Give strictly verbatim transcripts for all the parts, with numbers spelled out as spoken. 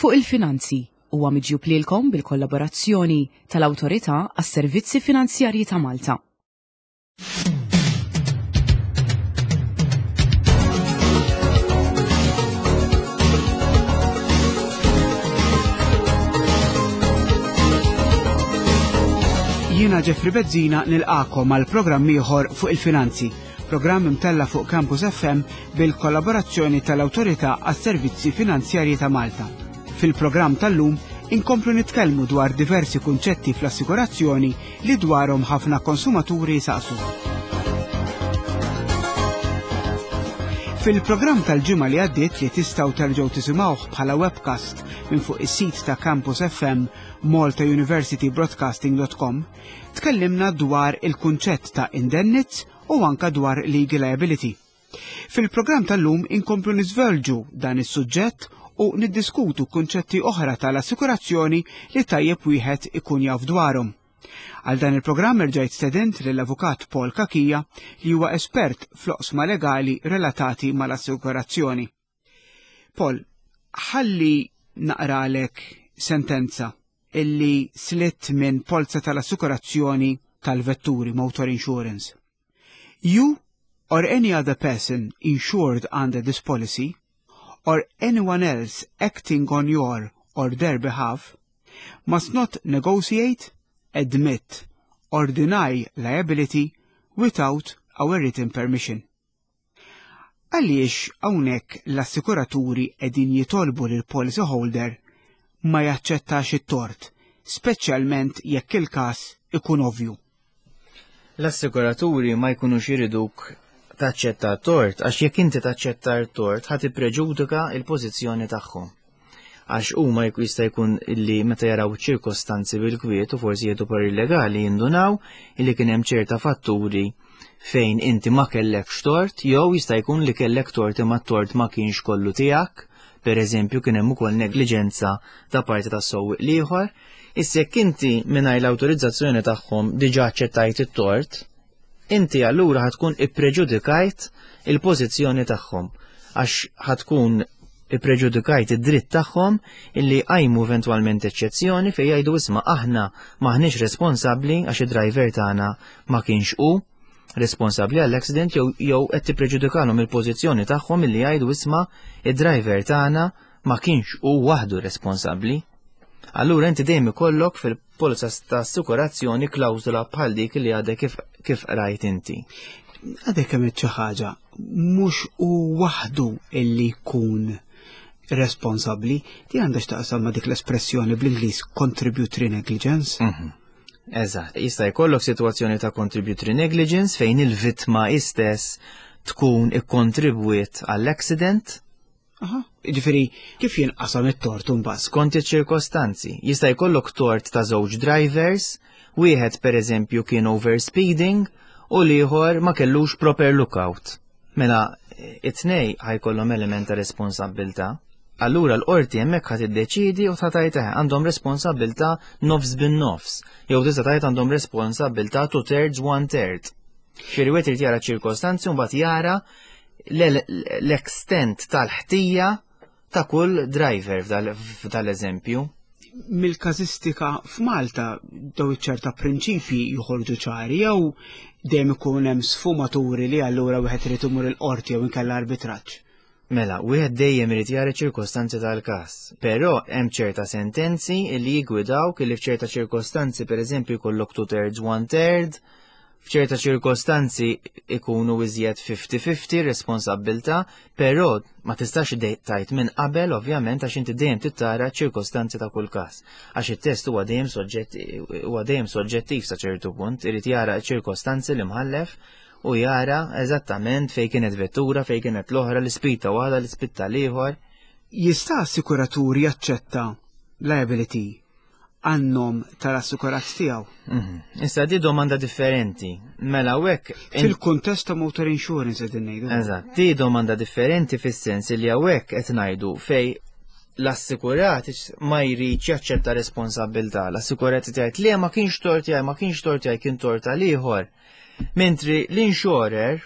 Fuq il-Finanzi huwa miġjub lilkom bil-kollaborazzjoni tal-Awtorità għas-Servizzi Finanzjarji ta' Malta. Jiena Jeffrey Bezzina nilqakom għal programm ieħor fuq il-finanzi, programm imtella fuq Campus F M bil-kollaborazzjoni tal-Awtorità għas-Servizzi Finanzjarji ta' Malta. Fil-programm tal-lum inkomplu nitkellmu dwar diversi kunċetti fl-assikurazzjoni li dwarhom ħafna konsumaturi saqsu. Fil-programm tal-ġimgħa li għaddiet, li tistgħu terġgħu tisimgħuh bħala webcast minn fuq is-sit ta' Campus F M malta university broadcasting dot com, tkellimna dwar il-kunċett ta' indennizz u anka dwar legal liability. Fil-programm tal-lum inkomplu niżvolġu dan is-suġġett u niddiskutu kunċetti oħra tal-assikurazzjoni li tajjeb wieħed ikun jaf dwarhom. Għal dan il-programm erġajt stedint lill-avukat Paul Cachia, li huwa espert fl-oqsma legali relatati mal-assikurazzjoni. Paul, ħalli naqralek sentenza illi slitt minn polza tal-assikurazzjoni tal-vetturi, motor insurance. "You or any other person insured under this policy or anyone else acting on your or their behalf must not negotiate, admit or deny liability without our written permission." Għaliex hawnhekk l-assikuraturi qegħdin jitolbu lil policy holder ma jaċċettax it-tort, speċjalment jekk il-każ ikun ovvju? L-assikuraturi ma jkunux iriduk taċċetta tort, għax jekk inti taċċetta tort ħa tippreġudika il-pożizzjoni tagħhom. Għax huma jista' jkun illi meta jaraw ċirkostanzi bil-kwiet u forsi jieħdu parir legali jindunaw illi kien hemm ċerta fatturi fejn inti ma kellekx tort, jew jista' jkun li kellek tort imma t-tort ma kienx kollu tiegħek, per eżempju kien hemm ukoll negliġenza ta' parti tas-sewwieq l-ieħor. Issa jekk inti mingħajr l-awtorizzazzjoni tagħhom diġà aċċettajt it-tort, inti allura ħa tkun ippreġudikajt il-pożizzjoni tagħhom, għax ħa tkun ippreġudikajt id-dritt tagħhom illi qajmu eventwalment eċċezzjoni fejn jgħidu, "Isma', aħna maħniex responsabbli għax id-driver tagħna ma kienx hu responsabbli għall-accident", jew jew qed tippreġudikalhom il-pożizzjoni tagħhom illi jgħidu, "Isma', id-driver tagħna ma kienx hu waħdu responsabbli." Allura inti dejjem ikollok fil-polza ta' assikurazzjoni klawżola bħal dik li għadek kif, kif rajt inti. Għadek kemm xi ħaġa, mhux hu waħdu illi jkun responsabbli, di għandha x'taqsam ma' dik l-espressjoni bl-Ingliż contributory negligence. Mhm. Eżatt, jista' jkollok sitwazzjoni ta' contributory negligence fejn il-vittma istess tkun ikkontribwiet għall-accident. Aha, ġifieri kif jinqasam it-tort imbagħad? Skont iċ-ċirkostanzi. Jista' jkollok tort ta' żewġ drivers, wieħed per eżempju kien overspeeding u l-ieħor ma kellux proper lookout. Mela it-tnej ħa jkollhom element ta' responsabbiltà. Allura l-qorti hemmhekk ħa tiddeċidi u ta' tgħid għandhom responsabbiltà nofs bin-nofs, jew tista' tgħid għandhom responsabbiltà two thirds, one third. Ġifieri wieħed irid jara ċirkostanzi u mbagħad jara l-extent tal-ħtija ta' kull driver f'dal-eżempju. Mill-każistika f'Malta daw ċerta prinċipji joħorġu ċari jew dejjem ikun hemm sfumaturi li allura wieħed irid imur il-qorti jew inkella arbitraġġ? Mela, wieħed dejjem irid jara ċirkostanzi tal-każ, però hemm ċerta sentenzi li jigwidaw li f'ċerta ċirkostanzi, pereżempju, jkollok two thirds, one third, f'ċerta ċirkostanzi ikunu iżjed fifty fifty responsabbiltà, però ma tistax tgħid minn qabel, ovvjament, għax inti dejjem trid tara ċirkostanzi ta' kull każ. Għax it-test huwa dejjem soġġett huwa dejjem soġġettiv sa ċertu punt, irid jara ċirkostanzi l-imħallef u jara eżattament fej kienet vettura, fej kienet l-oħra, l-ispeed ta' waħda, l-ispeed tal-ieħor. Jista' assikuratur jaċċetta liability għan-nom tal-assikurat tiegħu? Mhm. Issa di domanda differenti. Mela hekk Fil-kuntest ta' motor insurance qegħdin ngħidu. Eżatt, di domanda differenti fis-sens li hawnhekk qed ngħidu fej l-assikurat ma jridx jaċċetta responsabbiltà. L-assikurat jgħid li ma kienx tort tiegħi, ma kienx tort tiegħi, kien tort tal-ieħor. Mentri l-insurer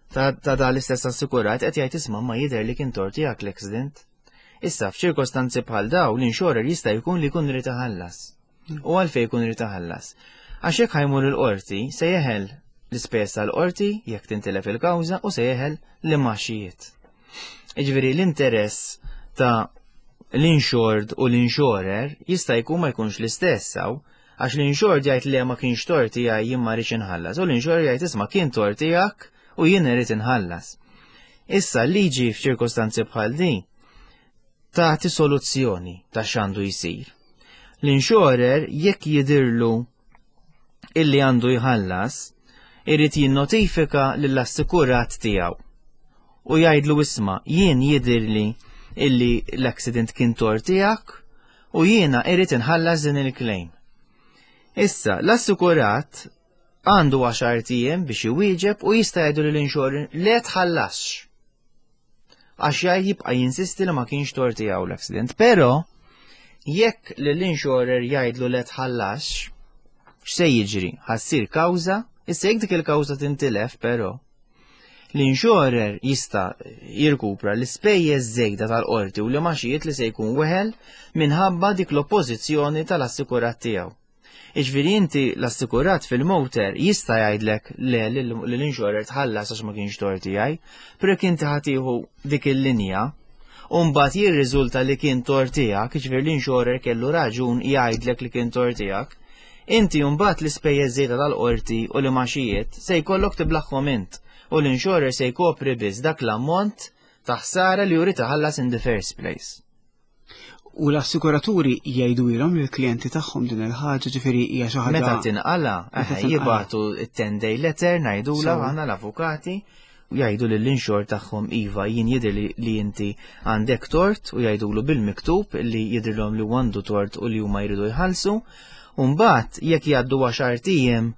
ta', ta da l-istess assikurat qed jgħid, "Isma', ma jidher li kien tort tiegħek l-accident." Issa f'ċirkostanzi bħal daw l-insurer jista' jkun li jkun irid iħallas. U għalfejn jkun irid iħallas? Għax jekk ħa jmur il-qorti se jeħel l-ispejjeż tal-qorti jekk tintilef il-kawża u se jeħel l-imgħaxijiet. Jiġifieri l-interess ta' l-insured u l-insurer jista' jkun ma jkunx l-istess hawn, għax l-insured jgħid li ma kienx tort tiegħi, jien ma rridx inħallas, u l-insurer jgħid, "Isma', kien tort tiegħek u jien irid inħallas." Issa l-liġi f'ċirkostanzi bħal din tagħti soluzzjoni ta' x'għandu jsir. L-insurer, jekk jidirlu illi għandu jħallas, irid jinnotifika lill-assikurat tiegħu u jgħidlu, "Isma', jien jidirli illi l-accident kien tort tiegħek u jiena irrid inħallas din il-claim." Issa, l-assikurat għandu għaxart ijiem biex iwieġeb u jista' jgħidu lill-insurer, "Le, tħallasx." Għax jgħid, jibqa' jinsisti li ma kienx tort tiegħu l-accident. Però jekk l-insurer jgħidlu, "Le, tħallasx," x'se jiġri? Ħa ssir kawża, issa jekk dik il-kawża tintilef però, l-insurer jista' jirkupra l-ispejjeż żejda tal-qorti u l-imgħaxijiet li se jkun weħel minħabba dik l-oppożizzjoni tal-assikurat tiegħu. Iġifieri inti l-assikurat fil-motor jista' jgħidlek le, l-insurer, tħallas għax ma kienx tort tiegħi, però jekk inti ħa tieħu dik il-linja u mbagħad jirriżulta li kien tort tiegħek, jiġifieri l-insurer kellu raġun jgħidlek li kien tort tiegħek, inti mbagħad l-ispejjeż żejda tal-qorti u l-imgħaxijiet se jkollok tiblagħhom int u l-insurer se jkopri biss dak l-ammont ta' ħsara li jrid iħallas in the first place. U l-assikuraturi jgħidu ilhom lill-klijenti tagħhom din il-ħaġa, ġifieri hija xi ħaġa? Meta tinqala, Meta tinqala. Jibagħtu it-ten day letter ngħidula So- aħna l-avukati u jgħidu lill-insured tagħhom, "Iva, jien jidher li, li inti għandek tort," u jgħidulu bil-miktub li jidhirlhom li għandu tort u li huma jridu jħallsu. U mbagħad jekk jgħaddu għaxart ijiem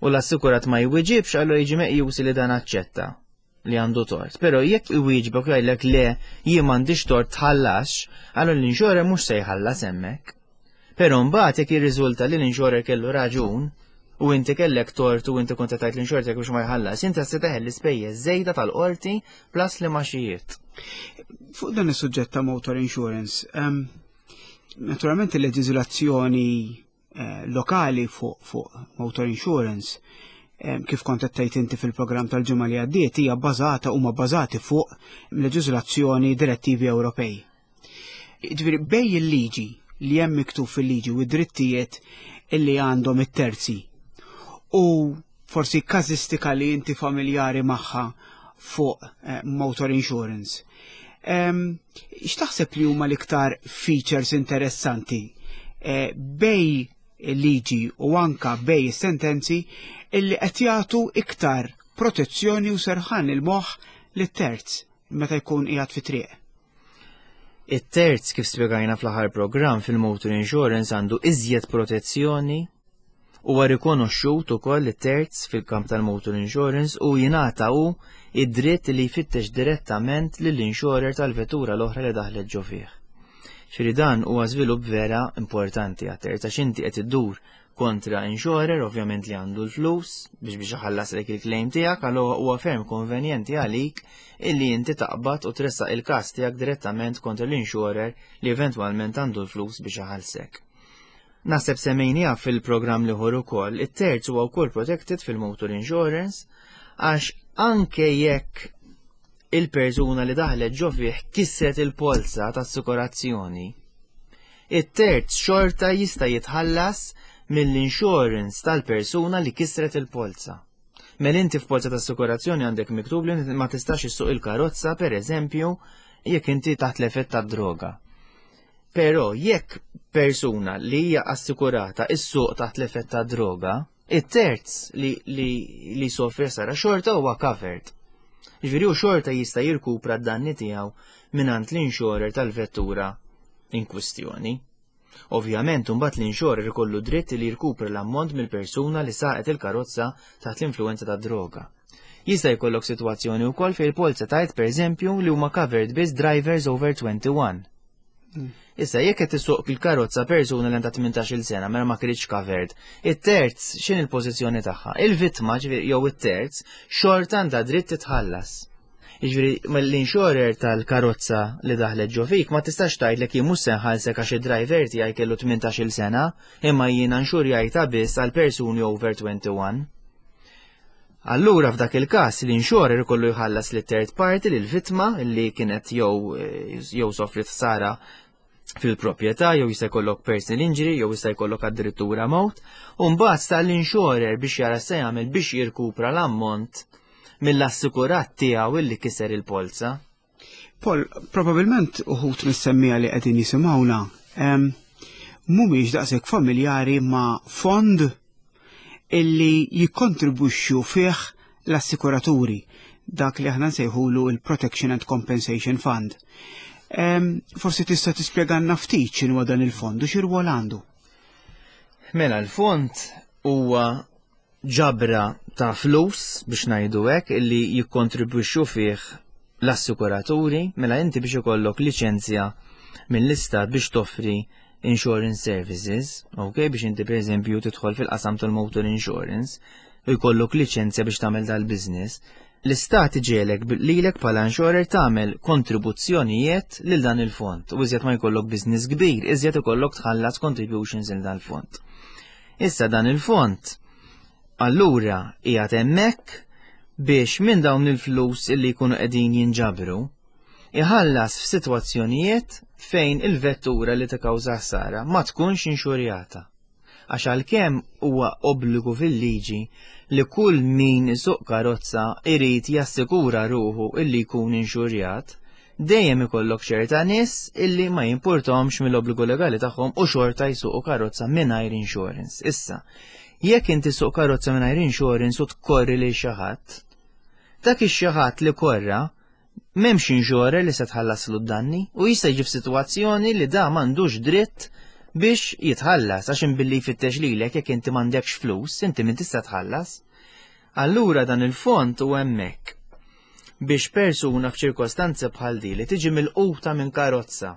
u l-assikurat ma jwiġibx, allura jiġi meqjus li dan aċċetta li għandu tort. Però jekk iwieġbek u jgħidlek, "Le, jien m'għandix tort, tħallasx," allura l-insurer mhux se jħallas hemmhekk. Però mbagħad jekk jirriżulta li l-insurer kellu raġun u inti kellek tort u inti kont tgħid l-insurer tiegħek biex ma jħallas, inti se teħel l-ispejjeż żejda tal-qorti plus l-imgħaxijiet. Fuq dan is-suġġett ta' motor insurance, um, naturalment il-leġiżlazzjoni eh, lokali fuq fuq motor insurance, em, kif kont qed tgħid inti fil-programm tal-ġimgħa li għaddiet, hija bbażata, huma bbażati fuq leġiżlazzjoni, direttivi Ewropej. Ġifieri bejn il-liġi li hemm miktub fil-liġi u d-drittijiet illi għandhom it-terzi u forsi każistika li inti familjari magħha fuq eh, motor insurance. Em, X'taħseb li huma l-iktar features interessanti eh, bejn liġi u anka bejn sentenzi illi qed jagħtu iktar protezzjoni u serħan il-moħħ lit-terz meta jkun qiegħed fi triq? It-terz, kif spjegajna fl-aħħar programm, fil-motor insurance għandu iżjed protezzjoni. Huwa rikonoxxut ukoll it-terz fil-kamp tal-motor insurance u jingħata hu id-dritt li jfittex direttament lill-insurer tal-vettura l-oħra li daħlet ġo fih. Ġifieri dan huwa żvilupp vera importanti għat-terz għax inti qed iddur kontra insurer ovvjament li għandu l-flus biex biex iħallaslek il-claim tiegħek, allura huwa ferm konvenjenti għalik illi inti taqbad u tressaq il-każ tiegħek direttament kontra l-insurer li eventwalment għandu l-flus biex iħallsek. Naħseb semmejnieha fil-programm l-ieħor ukoll, it-terz huwa wkoll protected fil-motor insurance għax anke jekk il-persuna li daħlet ġo fih kisret il-polza ta' assikurazzjoni, it-terz xorta jista' jitħallas mill-insurance tal-persuna li kisret il-polza. Mela inti f'polza ta' assikurazzjoni għandek miktub li ma tistax issuq il-karozza, per eżempju, jekk inti taħt l-effett ta' droga. Però jekk persuna li hija assikurata issuq taħt l-effett ta' droga, it-terz li, li, li sofri sara xorta huwa covered. Ġifieri u xorta jista' jirkupra d-danni tiegħu mingħand l-insurer tal-vettura in kwistjoni. Ovvjament, imbagħad l-insurer ikollu dritt li jirkupra l-ammont mill-persuna li saqet il-karozza taħt l-influenza ta' droga. Jista' jkollok sitwazzjoni wkoll fejn il-polza tgħid, pereżempju, li huma covered biss drivers over twenty-one. Issa jekk qed isuq il-karozza persuna li għandha tmintax-il sena, mela ma kienx covered. It-terz x'in il-pożizzjoni tagħha? Il-vittma, ġifieri jew it-terz, xorta għandha dritt titħallas. Jiġifieri l-insurer tal-karozza li daħlet ġo fik ma tistax tgħidlek jien mhux se nħallsek għax id-driver tiegħi kellu tmintax-il sena, imma jiena nxurjajta biss għal persuni over twenty-one. Allura f'dak il-każ l-insurer ikollu jħallas li third party, lil vittma li kienet jew jew sofrit ħsara fil-proprjetà, jew jista' jkollok personal injury, jew jista' jkollok addirittura mewt, u mbagħad sta l-insurer biex jara se jagħmel biex jirkupra l-ammont mill-assikurat tiegħu illi kiser il-polza. Paul, probabilment uħud mis-semmiegħa li qegħdin jisimgħuna mhumiex daqshekk familjari ma' fond illi jikkontribwixxu fih l-assikuraturi, dak li aħna nsejħulu il-Protection and Compensation Fund. Forsi tista' tispjegalna ftit x'inhu dan il-fond u x'irwol għandu. Mela, l-fond huwa ġabra ta' flus, biex ngħidu hekk, illi jikkontribwixxu fih l-assikuraturi. Mela inti biex ikollok liċenzja mill-istat biex toffri insurance services, ok, biex inti per eżempju tidħol fil-qasam tal-motor insurance u jkollok liċenzja biex tagħmel dal-business, l-istat iġiegħlek lilek bħala insurer tagħmel kontribuzzjonijiet lil dan il-fond. U iżjed ma jkollok business kbir, iżjed ikollok tħallas contributions lil dan il-fond. Issa dan il-fond allura qiegħed hemmhekk biex minn dawn il-flus illi jkunu qegħdin jinġabru iħallas f'sitwazzjonijiet fejn il-vettura li tikkawża ħsara ma tkunx inxurjata. Għax għalkemm huwa obbligu fil-liġi li kull min isuq karozza irid jassikura ruħu illi jkun inxurjat, dejjem ikollok ċerta nies illi ma jimpurtomx mill-obbligu legali tagħhom u xorta jsuqu karozza mingħajr insurance. Issa, jekk inti suq karozza mingħajr insurance u tkorri lil xi ħadd, dak ix-xi ħadd li korra m'hemmx insurer li se tħallaslu d-danni u jista' jiġi f'sitwazzjoni li da m'għandux dritt biex jitħallas, għax imbilli jfittex lilek, jekk inti m'għandekx flus, inti min tista' tħallas. Allura dan il-fond u hemmhekk biex persuna f'ċirkostanzi bħal di li tiġi milquta minn karozza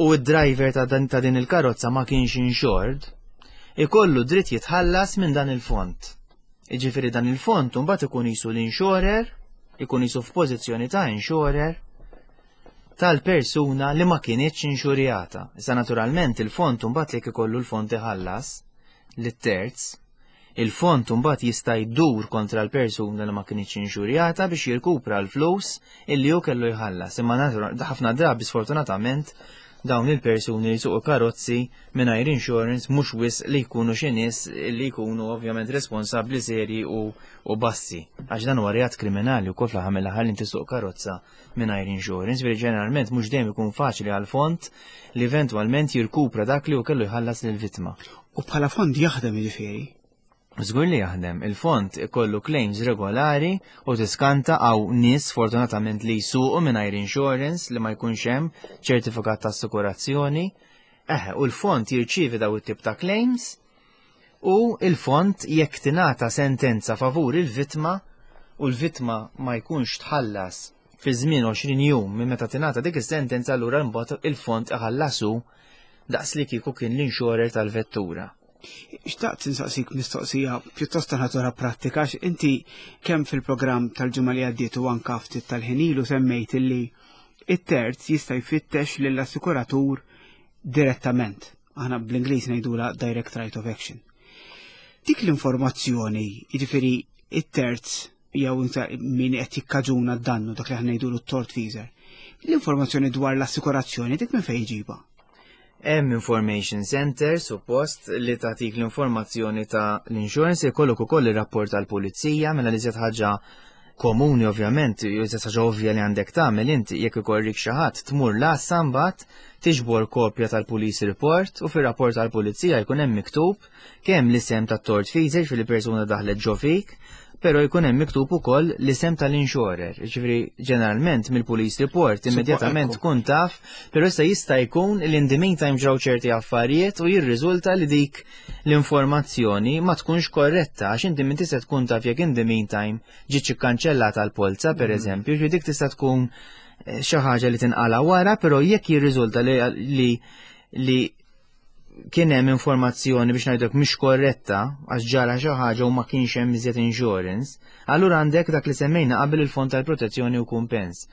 u d-driver ta' dan ta' din il-karozza ma kienx insured, ikollu dritt jitħallas minn dan il-fond. Iġifieri dan il-fond mbagħad ikun jisu l-insurer, ikun jisu f'pożizzjoni ta' insurer tal-persuna li ma kienitx inxurjata. Issa naturalment il-fond mbagħad li ikollu l-fond iħallas lit-terz, il-fond mbagħad jista' jdur kontra l-persuna li ma kienitx inxurjata biex jirkupra l-flus illi hu kellu jħallas. Imma ħafna drabi, sfortunatament, dawn il-persuni li suqu karozzi mingħajr insurance mhux wisq li jkunu xi nies li jkunu ovvjament responsabbli seri u, u bassi. Għax dan huwa reat kriminali wkoll fl-aħħar mill-aħħar li inti suq karozza mingħajr insurance, veri ġeneralment mhux dejjem ikun faċli għal fond li eventwalment jirkupra dak li hu kellu jħallas lill-vittma. U bħala fond jaħdem, jiġifieri? Żgur li jaħdem, il-fond ikollu claims regolari u tiskanta għaw nies fortunatament li jsuqu mingħajr insurance, li ma jkunx hemm ċertifikat ta' assikurazzjoni. Eħe, u l-fond jirċievi daw it-tip ta' claims u il-fond, jekk tingħata sentenza favur il-vittma u l-vittma ma jkunx tħallas fi żmien għoxrin jum minn meta tingħata dik is-sentenza, allura mbagħad il-fond iħallasu daqs li kieku kien l-insurer tal-vettura. Xtaqt insaqsik mistoqsija pjuttost ta' natura pratika, għax inti kemm fil-programm tal-ġimgħa li għaddiet u anka ftit tal-ħin ilu semmejt illi it-terz jista' jfittex lill-assikuratur direttament. Aħna bl-Ingliż ngħidula direct right of action. Dik l-informazzjoni, jiġifieri it-terz jew min qed jikkaġuna d-dannu, dak li aħna ngħidulu t-tortfeasor, l-informazzjoni dwar l-assikurazzjoni dik minn fejn jġibha? Hemm information center suppost li tagħtik l-informazzjoni ta' l-insurance, jkollok ukoll ir-rapport tal-pulizija. Mela li ħaġa komuni ovvjament, jew ħaġa ovvja li għandek tagħmel inti jekk ikorrik xi ħadd, tmur l-għassa, mbagħad tiġbor kopja tal-police report, u fir-rapport tal-pulizija jkun hemm miktub kemm l-isem tat-tortfeasor, fil-persuna daħlet ġo fik, pero jkun hemm miktub ukoll l-isem tal-insurer. Ġifieri ġeneralment mill-police report immedjatament tkun taf, però issa jista' jkun li in the meantime ġraw ċerti affarijiet u jirriżulta li dik l-informazzjoni ma tkunx korretta, għax inti minn tista' tkun taf jekk in the meantime ġietx ikkanċellata l-polza, per mm. eżempju, ġifieri dik tista' tkun eh, xi ħaġa li tinqala wara, però jekk jirriżulta li li li kien hemm informazzjoni, biex ngħidlek, mhix korretta għax ġara xi ħaġa u ma kienx hemm iżjed insurance, allura għandek dak li semmejna qabel, il-fond tal-protezzjoni u kumpens.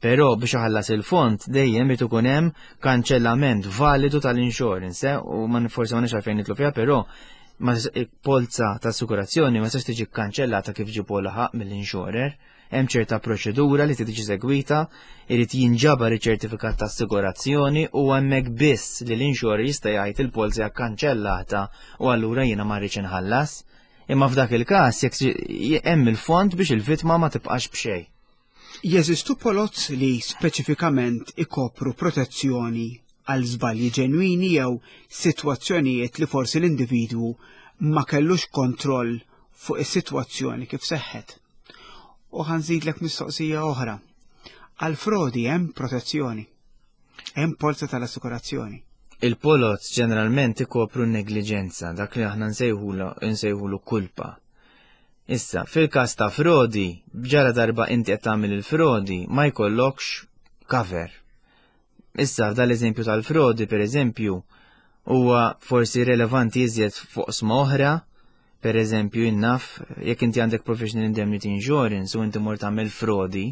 Però biex iħallas il-fond dejjem irid ikun hemm kanċellament validu tal-insurance, eh? U ma forsi ma nix għalfejn nidħlu fiha, però ma polza ta' assikurazzjoni ma tistax tiġi kkanċellata kif ġibu laħaq mill-insurer. Hemm ċerta proċedura li tiġi segwita, irid jinġabar iċ-ċertifikat ta' assigurazzjoni u hemmhekk biss li l-insurer jista' jgħid il-polza kkanċellata u allura jiena ma rridx inħallas. Imma f'dak il-każ jekk hemm il-fond biex il-vittma ma tibqax b'xejn. Jeżistu poloz li speċifikament ikopru protezzjoni għal żbalji ġenwini jew sitwazzjonijiet li forsi l-individwu ma kellux kontroll fuq is-sitwazzjoni kif seħħet? U ħa nżidlek mistoqsija oħra. Għal frodi hemm protezzjoni? Hemm polza tal-assikurazzjoni? Il-poloz ġeneralment ikopru negliġenza, dak li aħna nsejħulu kulpa. Issa, fil-każ ta' frodi, ġara darba inti qed tagħmel il-frodi, ma jkollokx cover. Issa, dal-eżempju tal-frodi, per eżempju, huwa forsi relevanti iżjed fuq oqsma oħra, per eżempju, innaf, jekk inti għandek professional indemnity insurance u inti mort tagħmel frodi,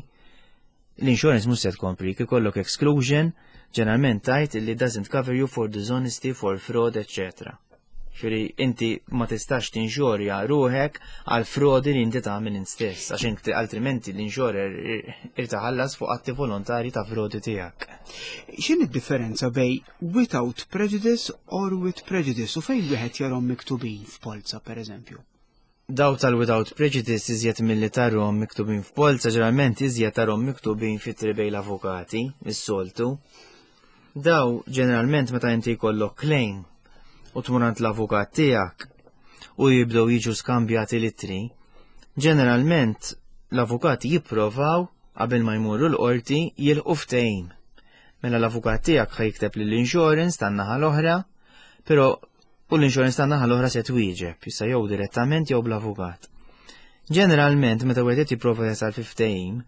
l-insurance mhux se tkomprik, ikollok exclusion, ġeneralment tgħid li doesn't cover you for dishonesty, for fraud, et cetera. Ġifieri inti ma tistax tinxorja ruħek għal frodi li inti tagħmel int stess, għax inti altrimenti l-insurer irid iħallas fuq atti volontari ta' frodi tiegħek. X'inhi d-differenza bejn without prejudice or with prejudice u fejn wieħed jarahom miktubin f'polza, per eżempju? Daw tal-without prejudice iżjed milli tarahom miktubin f'polza, ġeneralment iżjed tarahom miktubin fit bejn l-avukati, is-soltu. Daw ġeneralment meta inti jkollok claim u tmur għand l-avukat tiegħek u jibdew jiġu skambjati l-ittri, ġeneralment l-avukati jipprovaw qabel ma jmurru l-qorti jilħqu ftehim. Mela l-avukat tiegħek ħa jikteb lill-insurance tan-naħa l-oħra, però u l-insurance tan-naħa l-oħra se twieġeb, issa jew direttament jew bl-avukat. Ġeneralment meta wieħed jipprova jasal fi ftehim,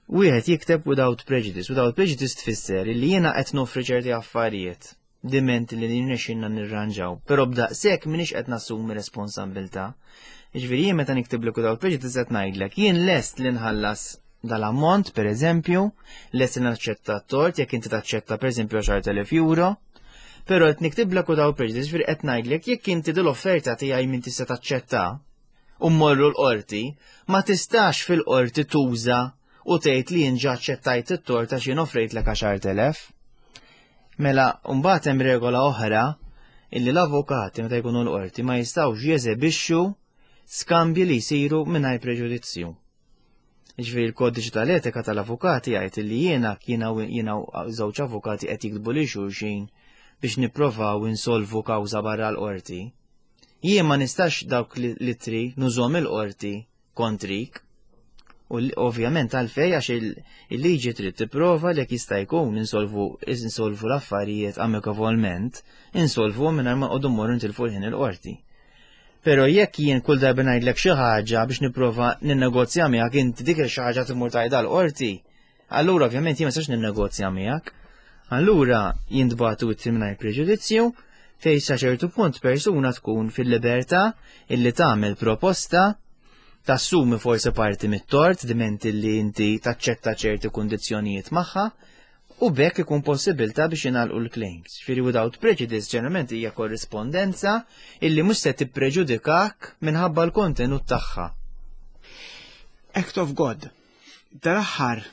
wieħed jikteb without prejudice. Without prejudice tfisser li jiena qed noffri ċerti affarijiet diment li nirnexxinna nirranġaw, però b'daqshekk m'iniex qed nassumi responsabbiltà. Jiġifieri jien meta niktiblek without prejudice qed ngħidlek jien lest li nħallas dal-ammont, per eżempju, lest li naċċetta t-tort jekk inti taċċetta, per eżempju, għaxart elef euro, però qed niktiblek without prejudice, ġifieri qed ngħidlek jekk inti dil-offerta tiegħi minn tista' taċċetta u mmorru l-qorti, ma tistax fil-qorti tuża u tgħid li jien ġa aċċettajt it-tort għax jien offrejtlek għaxart elef. Mela, mbagħad hemm regola oħra illi l-avukati meta jkunu l-qorti ma jistgħux jeżebixxu skambji li jsiru mingħajr preġudizzju. Ġifieri l-kodiċi tal-etika tal-avukati jgħid li jiena jiena jiena żewġ avukati qed jiktbu lil xulxin biex nipprovaw insolvu kawża barra l-qorti. Jien ma nistax dawk l-ittri nużahom il-qorti kontrik. U ovvjament għalfej, għax il-liġi trid tipprova li jekk jista' jkun insolvu insolvu l-affarijiet amikavolment, insolvu mingħajr ma qogħdu mmorru nitilfu l-ħin il-qorti. Però jekk jien kull darba ngħidlek xi ħaġa biex nipprova ninnegozja miegħek, inti dik xi ħaġa tmur tgħidha l-qorti, allura ovvjament jien ma nistax ninnegozja miegħek. Allura jintbagħtu ittri mingħajr preġudizzju fejn sa ċertu punt persuna tkun fil-libertà illi tagħmel proposta, tassumi forsi parti mit-tort diment li inti taċċetta ċerti kundizzjonijiet magħha u bekk ikun possibilità biex jingħalqu l-claims. Ġifieri without prejudice ġeneralment hija korrispondenza illi mhux se tippreġudikak minħabba l-kontenut tagħha. Act of God. Dal-aħħar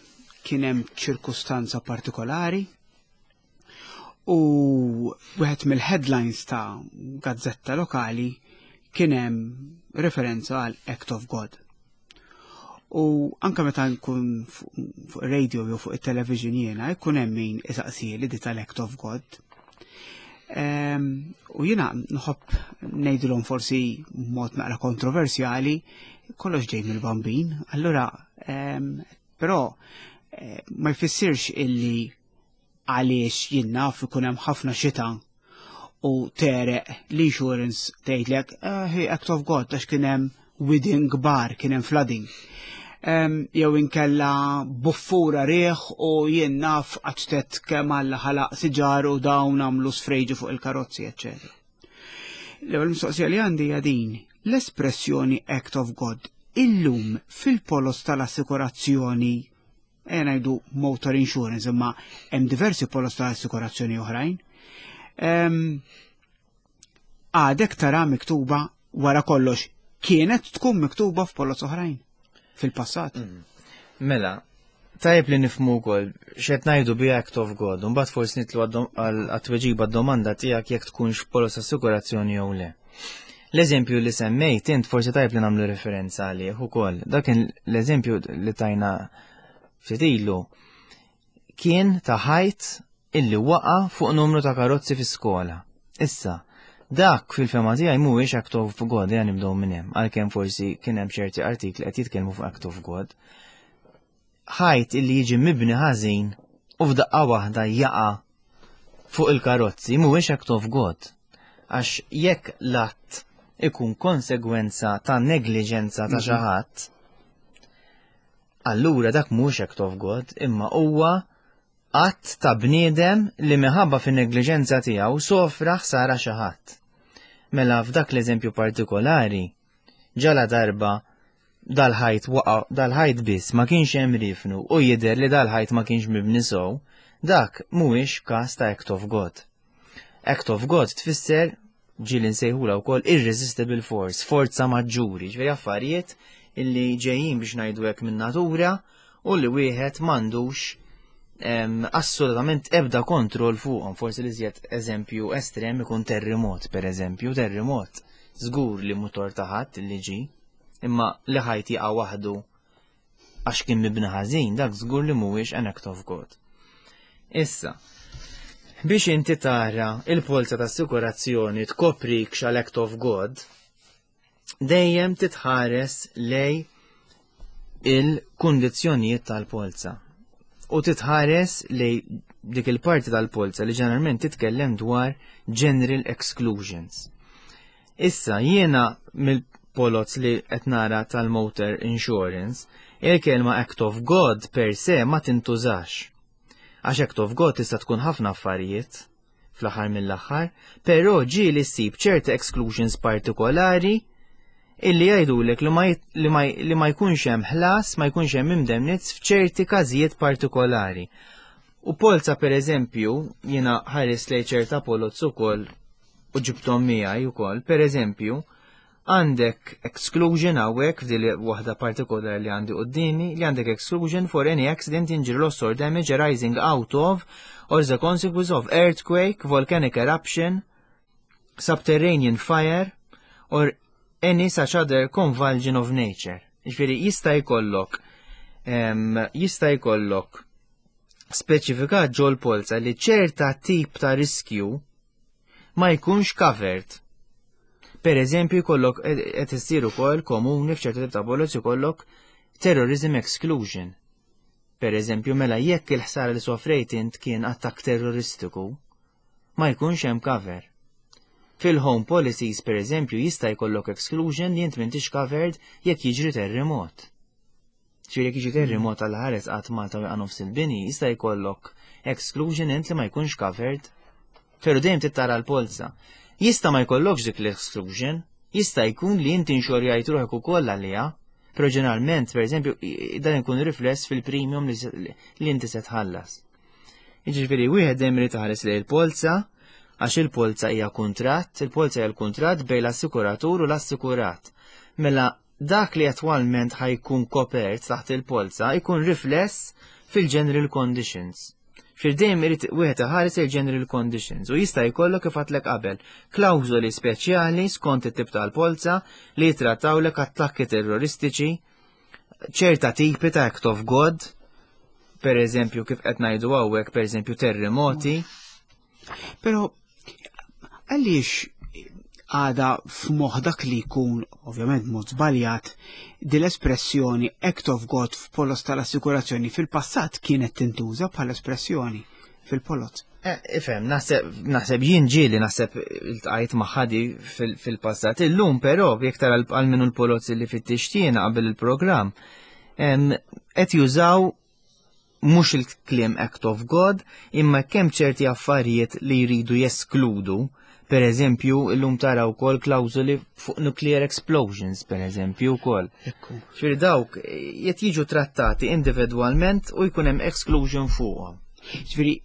kien hemm ċirkustanza partikolari u wieħed mill-headlines ta' gazzetta lokali kien hemm referenza għal Act of God. U anka meta nkun fuq radio jew fuq it-television jiena jkun hemm min isaqsieli di tal-Act of God. U jiena nħobb ngħidilhom, forsi mod naqra kontroversjali, kollox ġej mill-Bambin, allura però eh, ma jfissirx illi għaliex jien naf ikun hemm ħafna xita u tereq l-insurance tgħidlek eh, act of God għax kien hemm widien kbar, kien hemm flooding. Jew inkella buffura riħ u jien naf għaċtet kemm Alla ħalaq siġar u dawn għamlu sfreġu fuq il-karozzi, eċċetera. L-ewwel mistoqsija li għandi hija din: l-espressjoni "Act of God" illum fil-polos tal-assikurazzjoni, e ngħidu motor insurance, imma hemm diversi polos tal-assikurazzjoni oħrajn, għadek tara miktuba? Wara kollox, kienet tkun miktuba f'polos oħrajn fil-passat? Mm. Mela, tajjeb li nifhmu wkoll x'qed ngħidu bi Act of God, u mbagħad forsi nitlu għat-tweġiba domanda tiegħek jekk tkunx polos assikurazzjoni jew le. L-eżempju li semmejt int forsi tajjeb li nagħmlu referenza għalih ukoll. Dak l-eżempju li tajna ftit ilu kien ta' ħajt illi waqa fuq numru ta' karozzi fi skola. Issa, dak fil-fehma tiegħi mhuwiex Act of God, ejja nibdew minn hemm, għalkemm forsi kien hemm ċerti artikli qed jitkellmu fuq Act of God. Ħajt illi jiġi mibni ħażin u f'daqqa waħda jaqa' fuq il-karozzi mhuwiex Act of God. Għax jekk l-att ikun konsegwenza ta' negliġenza ta' xi ħadd, allura dak mhux Act of God, imma huwa att ta' bniedem li minħabba fin-negliġenza tiegħu sofra ħsara xi ħadd. Mela f'dak l-eżempju partikolari, ġala darba dal-ħajt waqa, dal-ħajt biss ma kienx hemm rifnu u jidher li dal-ħajt ma kienx mibni sew, dak mhuwiex każ ta' Act of God. Act of God tfisser, ġieli nsejħula wkoll irresistible force, forza maġġuri, ġifieri affarijiet illi ġejjin, biex ngħidu hekk, minn natura u li wieħed m'għandux assolutament ebda kontroll fuqhom. Forsi li żjed eżempju estrem ikun terremot, per eżempju, terremot. Żgur li mhu tort ta' ħadd li ġi, imma li ħajt jaqa' waħdu għax kien mibni ħażin, dak żgur li mhuwiex an act of God. Issa, biex inti tara il-polza ta' assikurazzjoni tkoprik xal Act of God, dejjem titħares lej il-kundizzjonijiet tal-polza. U titħares lej dik il-parti tal-polza li ġeneralment titkellem dwar general exclusions. Issa, jiena mill-poloz li qed nara tal-motor insurance, il-kelma Act of God per se ma tintużax. Għax Act of God tista' tkun ħafna affarijiet fl-aħħar mill-aħħar, però ġieli ssib ċerti exclusions partikolari illi jgħidulek li ma, li ma, li ma jkunx hemm ħlas, ma jkunx hemm indemnizz f'ċerti każijiet partikolari. U polza, per eżempju, jiena ħares lej ċerta poloz ukoll u ġibtom miegħi ukoll, per eżempju, għandek exclusion hawnhekk f'dil waħda partikolari li għandi quddiemi, li għandek exclusion for any accident, injury, loss or damage arising out of or the consequence of earthquake, volcanic eruption, subterranean fire or any such other convulsion of nature. Ġifieri jista' jkollok jista' jkollok speċifikat ġol polza li ċerta tip ta' riskju ma jkunx covered. Per eżempju, jkollok, qed issir ukoll komuni f'ċerta tip ta' polozz, jkollok terrorism exclusion. Per eżempju, mela jekk il-ħsara li sofrejt int kien attakk terroristiku, ma jkunx hemm cover. Fil-home policies, per eżempju, jista' jkollok exclusion li int m'intix covered jekk jiġri terremot. Ġifieri jekk jiġi terremot għal ħares qatt Malta u nofs il-bini, jista' jkollok exclusion int li ma jkunx covered. Pero dejjem tittara l-polza. Jista' ma jkollokx dik l-exclusion, jista' jkun li inti inxorjajt ruħek ukoll għaliha, però ġeneralment, per eżempju, dan ikun rifless fil-premium li inti se tħallas. Jiġifieri wieħed dejjem irid iħares lejn il-polza, għax il-polza hija kuntratt, il-polza hija l-kuntratt bejn l-assikuratur u l-assikurat. Mela dak li attwalment ħa jkun kopert taħt il-polza jkun rifless fil-general conditions. Fil-dejjem irid wieħed iħares il-general conditions u jista' jkollok, kif għedtlek qabel, klawżoli speċjali skont it-tip tal-polza li jitrattawlek attakki terroristiċi, ċerta tipi ta' Act of God, per eżempju kif qed ngħidu hawnhekk, per eżempju terremoti. Però għaliex għada f'moħħ dak li jkun, ovvjament mod żbaljat, din l-espressjoni Act of God f'polos tal-assikurazzjoni fil-passat kienet tintuża bħala espressjoni fil-poloz? Eh, ifhem, naħseb jien ġieli naħseb iltqajt magħha fil-passat. Illum però, jekk tara għal minnu l-poloz li fittixtina qabel il-programm, Qed jużaw mhux il-kliem Act of God, imma kemm ċerti affarijiet li jridu jeskludu, per eżempju, illum tara wkoll klawżoli fuq nuclear explosions, per eżempju, wkoll. Ġifieri dawk qed jiġu trattati individwalment u jkun hemm exclusion fuqhom. Ġifieri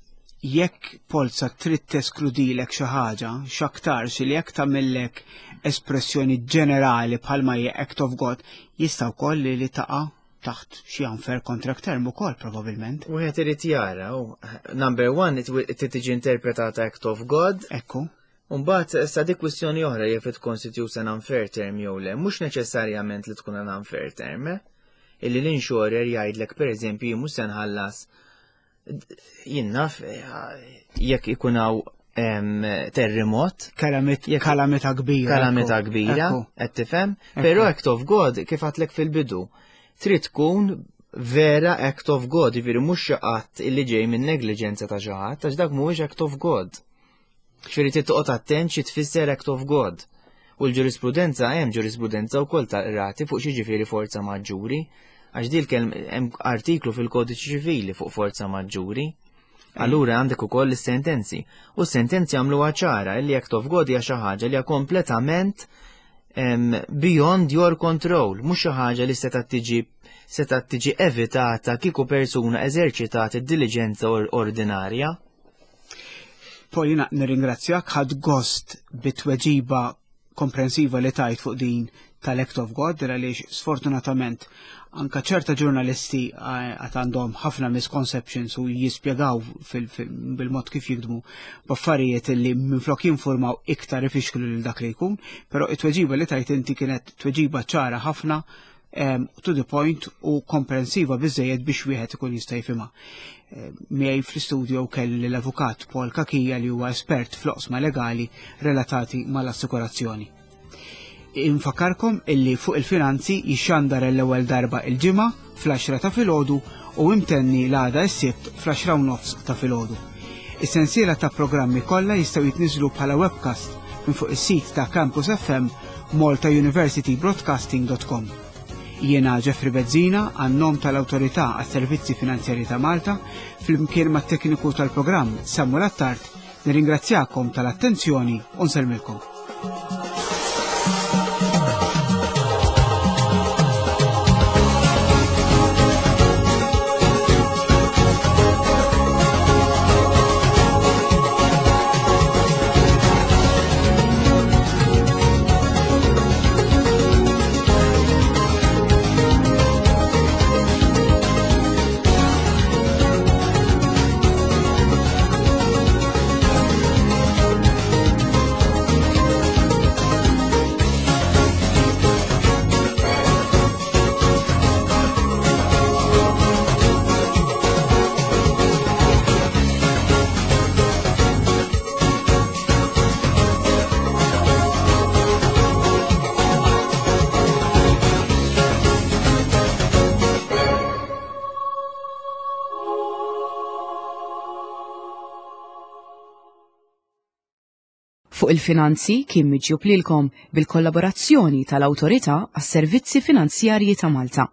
jekk polza trid teskludilek xi ħaġa, x'aktarx li jekk tagħmellek espressjoni ġenerali bħalma hija Act of God, jista' wkoll li li taqa' taħt xi unfair contract term ukoll probabbilment. Wieħed irid jara, u number one, it tiġi interpretata Act of God. Ekku. Mbagħad issa dik kwistjoni oħra jekk it constitutes an unfair term jew le, mhux neċessarjament li tkun an unfair term, eh? Illi l-insurer jgħidlek pereżempju jien mhux se nħallas jien naf jekk ikun hawn terremot. Kalamità kbira. Kalamità kbira, qed tifhem? Però Act of God kif għedtlek fil-bidu, trid tkun vera Act of God, jiġifieri mhux xi qatt illi ġej minn negliġenza ta' xi ħadd, għax dak mhuwiex Act of God. Ġifieri trid toqgħod attent xi tfisser Act of God. U l-ġurisprudenza hemm ġurisprudenza wkoll ta' rati fuq xi ġifieri forza maġġuri, għax dil hemm artiklu fil-Kodiċi Ċivili fuq forza maġġuri. Allura għandek ukoll is-sentenzi. U s-sentenzi għamluha ċara li Act of God hija xi ħaġa li hija kompletament beyond your control, mhux xi ħaġa li seta' tiġi seta' tiġi evitata kieku persuna eżerċitat id-diligenza ordinarja. Paul, jiena nirringrazzjak, ħadt gost bit-tweġiba komprensiva li tajt fuq din tal-Act of God, għaliex sfortunatament anka ċerta ġurnalisti għad għandhom ħafna misconceptions u jispjegaw bil-mod kif jikdmu b'affarijiet li minflok jinformaw iktar ifixklu lil dak li jkun, però it-tweġiba li tajt inti kienet tweġiba ċara ħafna, to the point u komprensiva biżejjed biex wieħed ikun jista' jifhimha. Miegħi fl-istudio kelli l-avukat Paul Cachia li huwa espert fl-oqsma legali relatati mal-assikurazzjoni. Infakarkom illi fuq il-finanzi jixxandar l-ewwel darba il-ġimgħa fl-għaxra ta' filgħodu u imtenni l-għada s-sibt fl-għaxra u nofs ta' filgħodu. Is-sensiela ta' programmi kollha jistgħu jitniżlu bħala webcast minn fuq is-sit ta' Campus F M Malta University Broadcasting dot com. Jiena Jeffrey Bezzina għan-nom tal-Awtorità għas-Servizzi Finanzjarji ta' Malta flimkien mat-tekniku tal-programm Samuel Attard nirringrazzjakom tal-attenzjoni u nsellmilkom. Fuq il-finanzi kien miġjub lilkom bil-kollaborazzjoni tal-Awtorità għas-Servizzi Finanzjarji ta' Malta.